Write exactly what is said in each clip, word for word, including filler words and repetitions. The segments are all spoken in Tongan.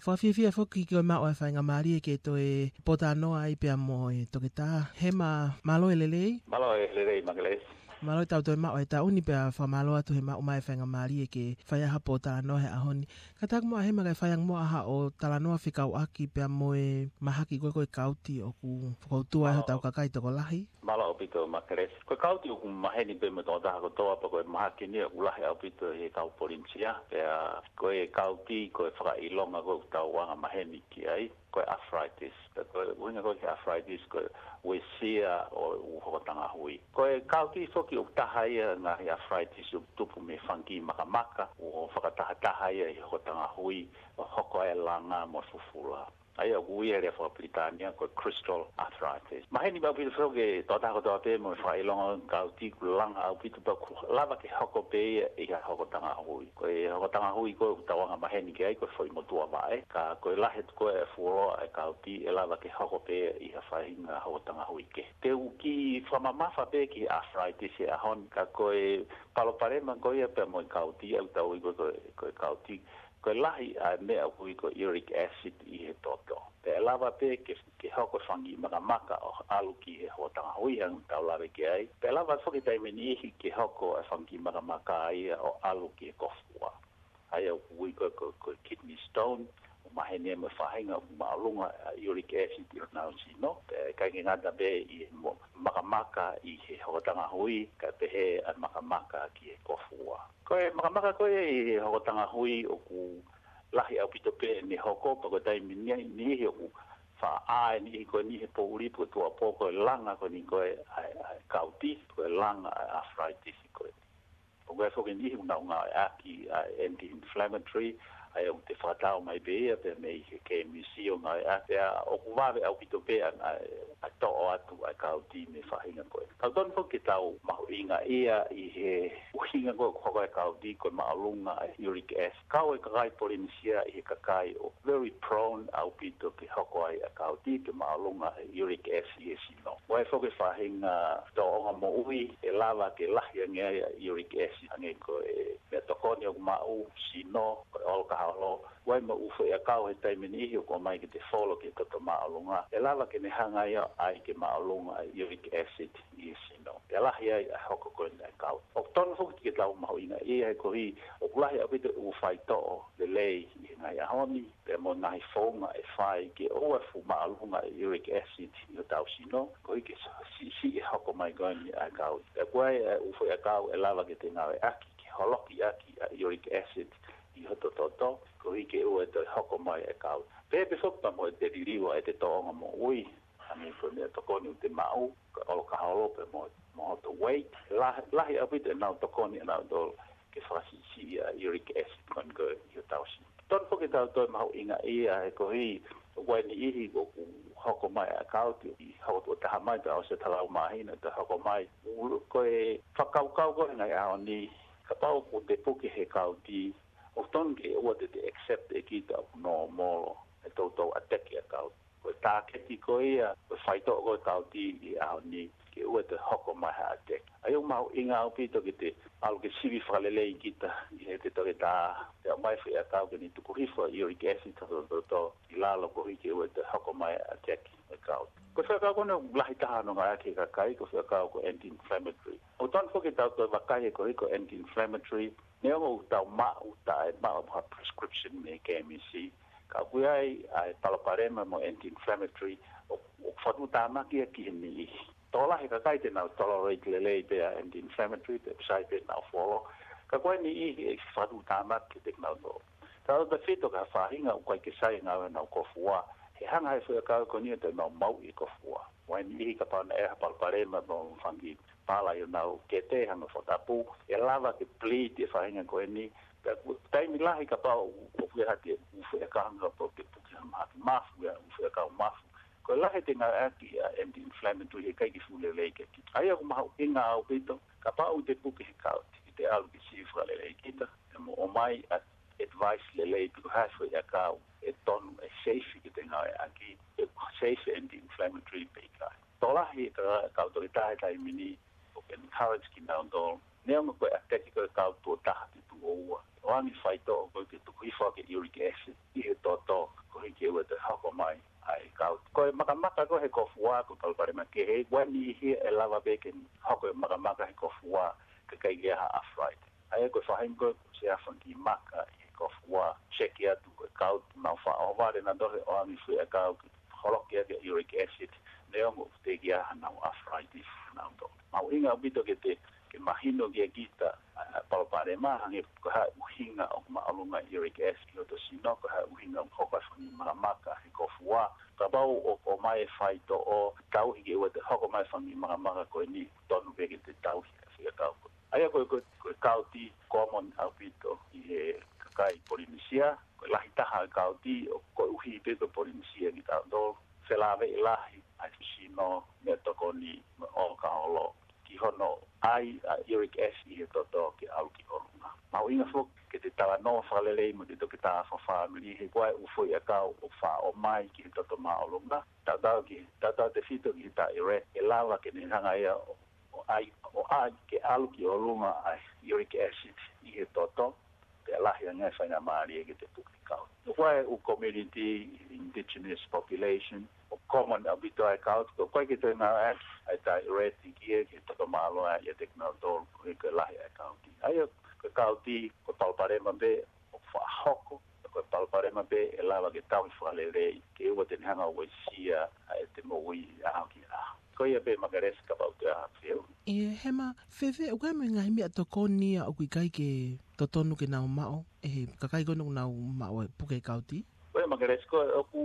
Ko e fiefia foki ke maʻu ʻa e faingamālie ke toe pōtalanoa ai pea mo e Toketā Hema. Mālō e lelei. Mālō e lelei, Makelesi. Mālō e tau toe maʻu e taʻu ni pea fakamālō atu he maʻu mai e faingamālie ke fai ai ha pōtalanoa he ʻaho ni. Kātaki muʻa Hema kae fai ange muʻa haʻo talanoa fekauʻaki pea mo e mahaki ko ē ko e kauti ʻoku fokoutua ai hotau kakai tokolahi. Mālō ʻaupito, Makelesi. Ko e kauti ʻoku maheni pē mo e tokotaha kotoa pea ko e mahaki ni ʻoku lahi ʻaupito he kau Polinisia. Pea ko e kauti, ko e fakaʻilonga ko ē ʻoku tau anga maheni ki ai, ko e arthritis. Pea ko e ʻuhinga ko ē ki he arthritis, ko e uesia ʻo e ʻū hokotanga hui. Ko e kauti foki ʻoku taha ia e ngaahi arthritis ʻoku tupu mei he fungi makamaka, ʻoku fakatahataha ia ʻi he hokotanga hui, ʻo hoko ai e langa mo e fufula. ʻA ia ʻoku ui he lea fakapilitānia ko e crystal arthritis. Maheni pē ʻaupito foki ki he tokotaha kotoa pē mo e fakaʻilonga ʻo e kauti, ʻoku langa ʻaupito pea ʻoku lava ke hoko pē ia ʻi ha hokotanga hui. Ko e hokotanga hui ko ē ʻoku tau anga maheni ki ai ko e foʻi motuʻa vaʻe, ka ko e lahi atu ko ē e fuoloa e kauti, ʻe lava ke hoko pē ia ʻi ha faʻahinga hokotanga hui kehe. Te u kiʻi fakamamafa pē ki he arthritis he ʻaho ni, ka ko e palopalema ko ia pea mo e kauti, ʻoku tau ui ko e, ko e, ko e kauti, ko e lahi ʻa e meʻa ʻoku ui ko e uric acid ʻi he toto. Pea ʻe lava pē ke, ke hoko e fungi makamaka ʻo ʻalu ki he hokotanga hui hangē ko ʻetau lave ki ai. Pea ʻe lava foki taimi ʻe niʻihi ke hoko e fungi makamaka ia ʻo ʻalu ki he kofua. ʻA ia ʻoku ui ko e, ko e, ko e kidney stone, ʻoku maheni ia mo e faʻahinga ʻoku māʻolunga ʻa e uric acid ʻi honau sino. Pea ʻikai ke ngata pē ʻi he mo-, makamaka ʻi he hokotanga hui, kae pehē ʻa e makamaka ki he kofua. Ko e makamaka ko ē ʻi he hokotanga hui ʻoku lahi ʻaupito pē ʻene hoko, pea ko e taimi ʻe niʻihi ʻoku faʻa ʻā e niʻihi ko eni he poʻuli pe ko e tuʻuapō ko e langa ko eni ko ē ʻa e, ʻa e kauti, ko e langa ʻa e arthritis ko ē. ʻOku ʻi ai foki e niʻihi ʻoku nau ngāueʻaki ʻa e anti-inflammatory, ʻa ia ʻoku te fakatau mai pē ia pē mei he K M C ʻo ngāueʻaki, pea ʻoku vave ʻaupito pē ʻa, ʻa, ʻa e toʻo atu ʻa e kauti mei he faʻahinga ko ē. Ka ʻoku totonu foki ke tau mahuʻingaʻia ʻi he ʻuhinga ko ē ʻoku hoko ai e kauti ko e māʻolunga ʻa e uric acid. Kau e kakai Polinisia ʻi he kakai ʻoku very prone ʻaupito ke hoko ai ʻa e kauti pe māʻolunga e uric acid ʻi he sino. ʻOku ʻi ai foki e faʻahinga tōʻonga moʻui ʻe lava ke lahi ange ai ʻa e uric acid, hangē ko e meʻatokoni ʻoku maʻu, sino, ko e ʻolokaholo. ʻOku ʻi ai mo e ʻū foʻi ʻakau he taimi ʻe niʻihi ʻoku ʻomai ke te folo ki he toto māʻolunga, ʻe lava ke ne hanga ia ʻo ʻai ke māʻolunga ʻa e uric acid ʻi he sino. Pea lahi ai ʻa e hoko ko ē ʻa e kauti. ʻOku totonu foki ke tau mahuʻingaʻia he koeʻuhi ʻoku lahi ʻaupito e ʻū faitoʻo lelei ʻi he ngaahi ʻaho ni, pea mo e ngaahi founga ʻe fai ke ʻoua ʻe fuʻu māʻolunga e uric acid ʻi hotau sino, koeʻuhi ke siʻisiʻi e hoko mai ko eni ʻa e kauti. Pea ʻoku ʻi ai e ʻū foʻi ʻakau ʻe lava ke te ngāueʻaki ke holokiʻaki ʻa e uric acid ʻi hoto toto, koeʻuhi ke ʻoua ʻe toe hoko mai e kauti. Pea pehē foki pea mo e te liliu ʻa ʻete tōʻonga moʻui, hangē ko e meʻatokoni ʻoku te maʻu, ko e ʻolokaholo pea mo, mo hoto weight, lahi, lahi ʻaupito ʻenau tokoni ʻanautolu ke fakasiʻisiʻi ʻa e uric acid ko eni ko ē ʻi hotau sino. Totonu foki ke tau toe mahuʻingaʻia he koeʻuhi ʻoku ʻi ai e niʻihi ʻoku hoko mai ʻa e kauti ʻi he hokotuʻa taha mai pea ʻosi e taha lau māhina, toe hoko mai. ʻOku, ko e fakakaukau ko ē he ngaahi ʻaho ni, kapau ʻoku te puke he kauti, ʻoku totonu ke ʻoua te te accept ʻe kita ʻoku normal e toutou attack ʻa e kauti. Ko e tāketi ko ia, ko e faitoʻo ko ē e kauti ʻi he ʻaho ni, ke ʻoua ʻe toe hoko mai ha attack. ʻA ia ʻoku mahuʻinga ʻaupito ke te ʻalu ke sivi fakalelei kita ʻi heʻete toketā, pea ʻomai e foʻi ʻakau ke ne tuku hifo ʻa e uric acid ʻi hoto toto ʻi lalo koeʻuhi ke ʻoua ʻe toe hoko mai e attack ʻa e kauti. Ko e foʻi ʻakau ko ena ʻoku lahi taha hono ngāueʻaki ʻe he kakai, ko e foʻi ʻakau ko e anti-inflammatory. ʻOku totonu foki ke tau toe vakai he koeʻuhi ko e anti-inflammatory, neongo ʻoku tau maʻu, taʻe maʻu ha prescription mei he K M C, ka ʻoku ʻi ai ʻa e palopalema mo e anti-inflammatory ʻoku, ʻoku fakatuʻutāmaki ia ki he niʻihi. Tokolahi e kakai te nau tolerate lelei pē ʻa e anti-inflammatory, pea ʻoku sai pē ʻenau folo. Ka ʻoku ʻi ai e niʻihi ʻe fakatuʻutāmaki kiate kinautolu. Tautautefito ki ha faʻahinga ʻoku ʻikai ke sai e ngāue ʻenau kofua, he hanga ʻe he foʻi ʻakau ko eni ʻo toe maumauʻi e kofua. ʻOku ʻi ai e niʻihi kapau naʻe ʻi ai ha palopalema mo e fungi pala ʻi honau kete, hangē ko e fakatapu, ʻe lava ke bleed e faʻahinga ko eni. Pea ko e taimi lahi kapau ʻoku ʻi ai haʻate ʻū foʻi ʻakau hangē kapau te puke ha mahaki mafu, ʻū foʻi ʻakau mafu, ko e lahi ʻete ngāueʻaki ʻa e anti-inflammatory he ʻikai ke fuʻu lelei kiate kita. ʻA ia ʻoku mahuʻinga ʻaupito, kapau te puke he kauti, ke te ʻalu ke sivi fakalelei kita, pea mo ʻomai ʻa e advice lelei pe ko e hā e foʻi ʻakau ʻe tonu, ʻe safe ke te ngāueʻaki, ʻe safe, anti-inflammatory pe ʻikai. Tokolahi e kau toketā he taimi ni ʻoku encourage kinautolu, neongo ko e attack ko ē e kauti tuʻo taha pe tuʻo ua, ʻoange e faitoʻo ko ē ke tuku hifo ʻaki e uric acid ʻi he toto, ke ʻoua te hoko mai ʻa e kauti. Ko e makamaka ko ē he kōfua, ko e palopalema kehe, ʻoku ʻi ai e niʻihi ʻe lava pē ke hoko e makamaka he kōfua, kae ʻikai ke ʻi ai ha arthritis. ʻA ia ko e faʻahinga ko ē ʻoku ʻi ai e fanga kiʻi maka ʻi he kōfua, seki atu ko e kauti, nau faʻa ʻohovale nautolu he ʻoange fuʻu ʻakau ke holoki ʻaki e uric acid, neongo ʻoku teʻeki ai haʻanau arthritis nautolu. Mahuʻinga ʻaupito ke te, ke mahino kia kita ʻa e palopalema, hangē ko e hā e ʻuhinga ʻoku māʻolunga e uric acid ʻi hoto sino, ko e hā e ʻuhinga ʻoku hoko ai e fanga kiʻi makamaka he kōfua. Kapau ʻoku ʻomai e faitoʻo, tauhi ke ʻoua te hoko mai e fanga kiʻi makamaka ko eni, tonu pē ke te tauhi e fuʻu ʻakau ko ē. ʻA ia ko e, ko e, ko e kauti common ʻaupito ʻi he kakai Polinisia, ko e lahi taha e kauti, ʻo koeʻuhi pē ko Polinisia kitautolu, felāveʻi lahi ʻa e sino, meʻatokoni mo e ʻolokaholo, ki hono ʻai ʻa e uric acid ʻi he toto ke ʻalu ki ʻolunga. Mahuʻinga foki ke te talanoa fakalelei mo e toketā fakafāmili, he ko e ʻū foʻi ʻakau ʻoku faʻa ʻomai ki he toto māʻolunga, tautau ki, tautautefito ki he taʻireti, ʻe lava ke ne hanga ia ʻo, ʻo ʻai, ʻo ʻai ke ʻalu ki ʻolunga ʻa e uric acid ʻi he toto, pea lahi ange e faingamālie ke te puke e kauti. Ko e ʻū community, indigenous population, ʻoku common ʻaupito ʻa e kauti, ko e ʻikai ke toe ngāueʻaki ʻa e taʻireti ki he, ki he toto māʻolunga ʻiate kinautolu, koeʻuhi ko e lahi ʻa e kauti. ʻA ia ko e kauti, ko e palopalema pē ʻoku faʻa hoko, ko e palopalema pē ʻe lava ke tauhi fakalelei, ke ʻoua te ne hanga ʻo uesia ʻa ʻete moʻui ʻaho ki he ʻaho. Ko ia pē Makelesi, kapau te ʻi ai ha fehuʻi. ʻE, Hema, fēfē, ʻoku ʻi ai mo e ngaahi meʻatokoni ia ʻoku ʻikai ke totonu ke nau maʻu ʻe he kakai ko ena ʻoku nau maʻu e puke kauti? Ko ia Makelesi, ko e ʻoku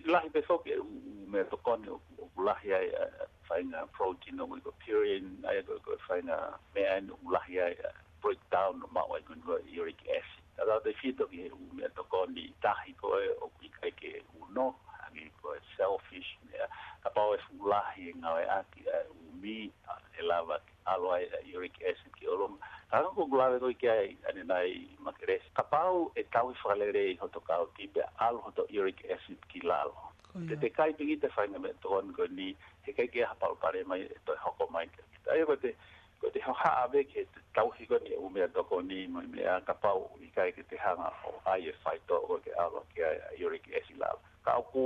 lahi pē foki e ʻū, ʻū meʻatokoni ʻoku, ʻoku lahi ai ʻa e faʻahinga protein ʻoku ui ko e purine, ʻa ia ko e, ko e faʻahinga meʻa ʻeni ʻoku lahi ai ʻa e breakdown ʻo maʻu ai ko eni ko e uric acid. Tautautefito ki he ʻū meʻatokoni tahi ko ē ʻoku ʻikai ke ʻuno, hangē ko e shellfish, meʻa, kapau ʻe fuʻu lahi e ngāueʻaki ʻa e ʻū meʻa, ʻe lava ke ʻalu ai ʻa e uric acid ki ʻolunga. Ka ko ʻeku lave ko ē ki ai ʻanenai Makelesi, kapau ʻe tauhi fakalelei hoto kauti pea ʻalu hoto uric acid ki lalo. Ko ia. Te te kai pē kita e faʻahinga meʻatokoni ko eni, he ʻikai ke ʻi ai ha palopalema ia ʻe toe hoko mai kia kita. ʻA ia ko ʻete, ko ʻete hohaʻa pē ki he tauhi ko eni e ʻū meʻatokoni mo e meʻa, kapau ʻikai ke te hanga ʻo ʻai e faitoʻo ko ē ke ʻalu ki ai ʻa e uric acid ki lalo. Ka ʻoku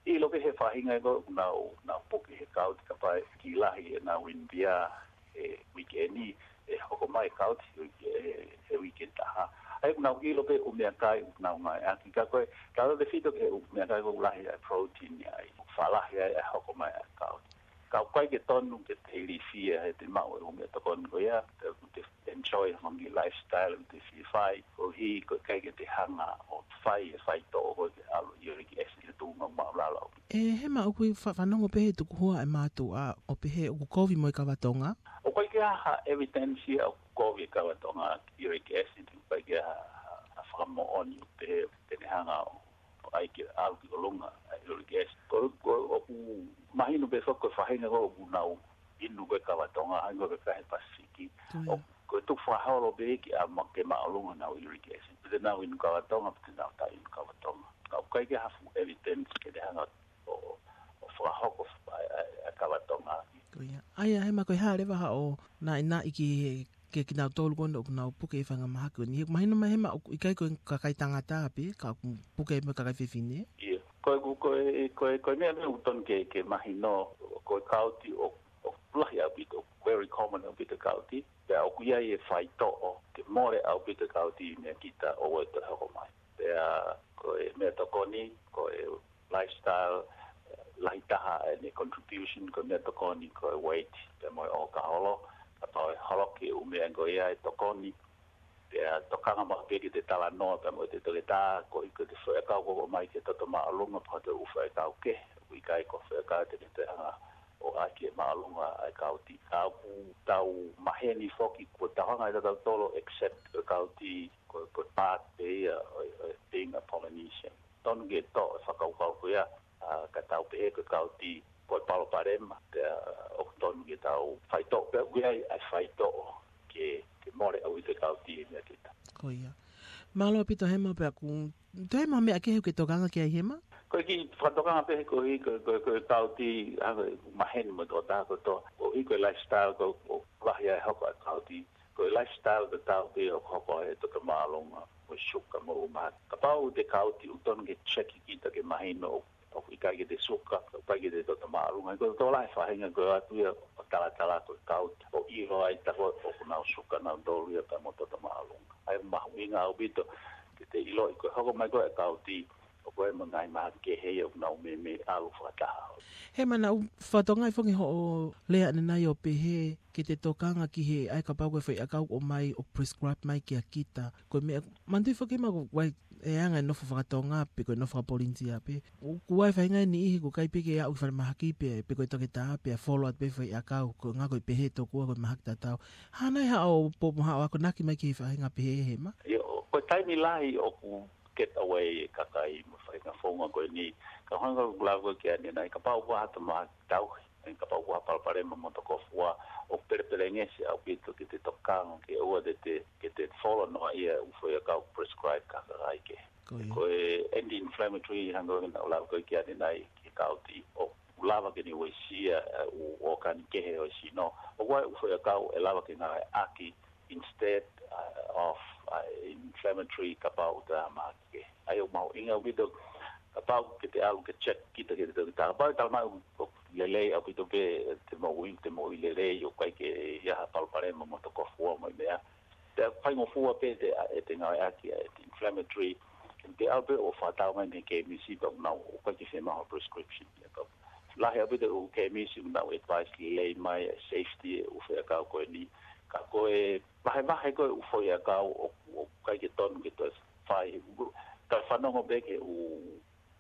ʻilo pē ʻe he faʻahinga ko ē ʻoku nau, nau puke he kauti kapau ʻe kiʻi lahi ʻenau inu pia he uike ni, ʻe hoko mai e kauti he uike, he, he uike taha. ʻA ia ʻoku nau ʻilo pē e ʻū meʻakai ʻoku nau ngāueʻaki, ka ko e, tautautefito ki he ʻū meʻakai ʻoku lahi ai e protein ia ai, ʻoku faʻa lahi ai e hoko mai ʻa e kauti. Ka ʻoku ʻikai ke tonu ke te ilifia heʻete maʻu e ʻū meʻatokoni ko ia, te, te enjoy e fanga kiʻi lifestyle ʻoku te fie fai, koeʻuhi ko e ʻikai ke te hanga ʻo fai e faitoʻo ko ē ke ʻalu e uric acid ki he tuʻunga māʻulalo. ʻE, Hema, ʻoku ou fa-, fanongo pē he tukuhua e mātuʻa ʻo pehē ʻoku kovi mo e kava tonga? ʻOku ʻikai ke ʻi ai ha evidence ia ʻoku kovi e kava tonga ki he uric acid, ʻoku ʻikai ke ʻi ai ha, ha, ha fakamoʻoni ʻoku pehē te ne hanga ʻo, ʻo ʻai ke ʻalu ki ʻolunga ʻa e uric acid. Ko, ko, ʻoku mahino pē foki ko e faʻahinga ko ē ʻoku nau inu ko ē e kava tonga, hangē ko e kakai Pasifiki. Ko ia. ʻO, ko e tukufakaholo pē ia ke ma-, ke māʻolunga honau uric acid. Pe te nau inu kava tonga, pe te nau taʻe inu kava tonga. Ka ʻoku ʻikai ke ʻi ai ha fuʻu evidence ke ne hanga ʻo, ʻo fakahoko ʻa e, ʻa e, ʻa e kava tonga. Ko ia. ʻA ia, Hema, ko e hā leva haʻo naʻinaʻi ki he, ki he kinautolu ko ena ʻoku nau puke e faʻahinga mahaki ko eni? He ʻoku mahino mai, Hema, ʻoku ʻikai ko e kakai tangata pē, ka ʻoku puke mo e kakai fefine? ʻIo. Ko e, ko e, ko e, ko e meʻa pē ʻoku tonu ke, ke mahino, ko e kauti ʻoku, ʻoku lahi ʻaupito, very common ʻaupito e kauti. Pea ʻoku ʻi ai e faitoʻo ke mole ʻaupito e kauti meiate kita ʻo ʻoua ʻe toe hoko mai. Pea ko e meʻatokoni, ko e lifestyle, lahi taha ʻene contribution, ko e meʻatokoni, ko e weight, pea mo e ʻolokaholo, kapau ʻe holoki e ʻū meʻa ko ia ʻe tokoni, pea tokanga maʻu pē ki heʻete talanoa pea mo ʻete toketā, koeʻuhi ko ʻete foʻi ʻakau ʻoku ʻomai ki he toto māʻolunga, pe ko e ʻū foʻi ʻakau kehe, ʻoku ʻikai ko e foʻi ʻakau te ne toe hanga ʻo ʻai ke māʻolunga ʻa e kauti. Ka ʻoku tau maheni foki, kuo tau hanga ʻe tautolu ʻo accept ko e kauti, ko, ko e part pē ia ʻo, ʻo being a Polynesian. Tonu ke toʻo e fakakaukau ko ia, ʻa, ka tau pehē ko e kauti ko e palopalema, pea ʻoku tonu ke tau faitoʻo, pea ʻoku ʻi ai ʻa e faitoʻo ke, ke mole ʻaupito e kauti meiate kita. Ko ia. Mālō ʻaupito Hema, pea ʻoku toe ʻi ai ha meʻa kehe ʻoku ke tokanga ki ai Hema? Ko e kiʻi fakatokanga pē he koeʻuhi ko, ko, ko e kauti, hangē ko e maheni mo e tokotaha kotoa, koeʻuhi ko e lifestyle ko, ʻoku lahi ai e hoko ʻa e kauti, ko e lifestyle ko e tau pē ʻoku hoko ai e toto māʻolunga. mo e suka mo e ʻū mahaki. Kapau te kauti ʻoku totonu ke check kita ke mahino ʻoku ʻikai ke te suka, ʻoku ʻikai ke te toto māʻolunga. Ko e tokolahi e faʻahinga ko e ʻatu ia ʻo talatala ko e kauti ʻo ʻilo ai tā ko ē ʻoku nau suka nautolu ia pea mo toto māʻolunga. ʻA ia mahuʻinga ʻaupito ke te ʻiloʻi ko e hoko mai ko ē e kauti ʻoku ʻi ai mo e ngaahi mahaki kehe ia ʻoku nau meimei ʻalu fakataha. He mana u fatongai fongi hoʻo lea ʻanenai ʻo pehē ke te tokanga ki he ʻai kapau ko e foʻi ʻakau ʻoku ʻomai ʻo prescribe mai kia kita. Ko e meʻa, manatuʻi foki ma ko e anga e nofo fakatonga pe ko e nofo fakapolinia pe. ʻOku ʻi ai e faʻahinga e niʻihi ʻoku ʻikai pē ke aʻu ki falemahaki pe, pe ko e toketā pe ʻa follow atu pē foʻi ʻakau, ko e ngako ʻi pehē tokua ko e mahaki tatau. Hā nai haʻo po mo haʻo akonaki mai ki he faʻahinga pehē Hema? ʻIo, ko e taimi lahi ʻoku get away e kakai mo e faʻahinga founga ko eni. Ka hanga ʻoku lava ko ē ke ʻanenai, kapau ʻoku ʻi ai ha toe mahaki tauhi, ʻe kapau ʻoku ʻi ai ha palopalema mo e tokofua, ʻoku pelepelengesi ʻaupito ke te tokanga ke ʻoua te te, ke te follow noa ia e ʻū foʻi ʻakau prescribe ki ha kakai kehe. Ko ia. Ko e anti-inflammatory hanga ʻo ʻoua naʻa lava ko ē ke ʻanenai ki he kauti ʻoku lava ke ne uesia e ʻū ʻōkani kehe ʻo e sino. ʻOku ʻi ai e ʻū foʻi ʻakau ʻe lava ke ngāueʻaki instead uh, of uh, inflammatory kapau ʻoku toe ʻi ai ha mahaki kehe. ʻA ia ʻoku mahuʻinga ʻaupito kapau ke te ʻalu ke check kita ki he toketā. Kapau ʻe talamai ʻoku lelei ʻaupito pē e moʻui, te moʻui lelei, ʻoku ʻikai ke ʻi ai ha palopalema mo e tokofua mo e meʻa. Pea faingofua pē te, ʻe te ngāueʻaki ʻa e anti-inflammatory. Te ʻalu pē ʻo fakatau mai mei he kēmisi pea ʻoku nau, ʻoku ʻikai ke fiemaʻu ha prescription. Lahi ʻaupito e ʻū kēmisi ʻoku nau advice lelei mai e safety e ʻū foʻi ʻakau ko eni. Ka ko e vahevahe ko ē e ʻū foʻi ʻakau ʻoku, ʻoku ʻikai ke tonu ke toe fai. Ka fanongo pē ki he ʻū,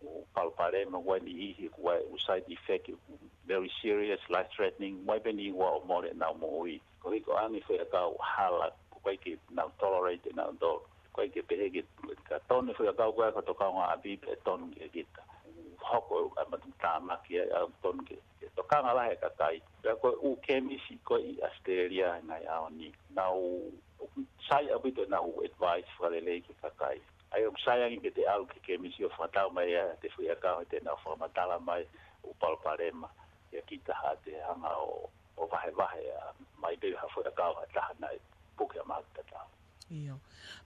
ʻū palopalema, ʻoku ʻi ai e niʻihi, ʻoku ʻi ai e ʻū side effect, ʻoku very serious, life threatening, ʻoku ʻi ai pē niʻihi ʻoku mole ʻenau moʻui. Koeʻuhi ko e anga e foʻi ʻakau hala, ʻoku ʻikai ke nau tolerate ʻe nautolu. ʻOku ʻikai ke pehē ke, ka tonu e foʻi ʻakau ko ē ko e tokanga ʻapi pē tonu kia kita. Hoko ʻa e matuʻutāmaki ai ʻoku tonu ke, ke tokanga lahi e kakai. Pea ko e ʻū kēmisi ko ē ʻi ʻAositelēlia he ngaahi ʻaho ni. Nau, ʻoku sai ʻaupito ʻenau advice fakalelei ki he kakai. ʻA ia ʻoku sai ange ke te ʻalu ki he kēmisi ʻo fakatau mai ʻa e foʻi ʻakau he te nau fakamatala mai e ʻū palopalema ia kita ha te hanga ʻo, ʻo vahevahe ʻa mai pē ha foʻi ʻakau ha taha naʻe puke ʻa mahaki tatau. ʻIo.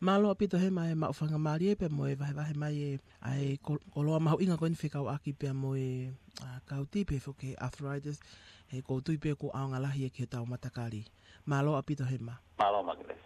Mālō ʻaupito Hema e maʻu faingamālie pea mo e vahevahe mai e, ʻa e ko-, koloa mahuʻinga ko eni fekauʻaki pea mo e, ʻa, kauti pea foki arthritis, he ʻoku ou tui pē ʻoku ʻaonga lahi ia ki hotau matakali. Mālō ʻaupito Hema. Mālō Makelesi.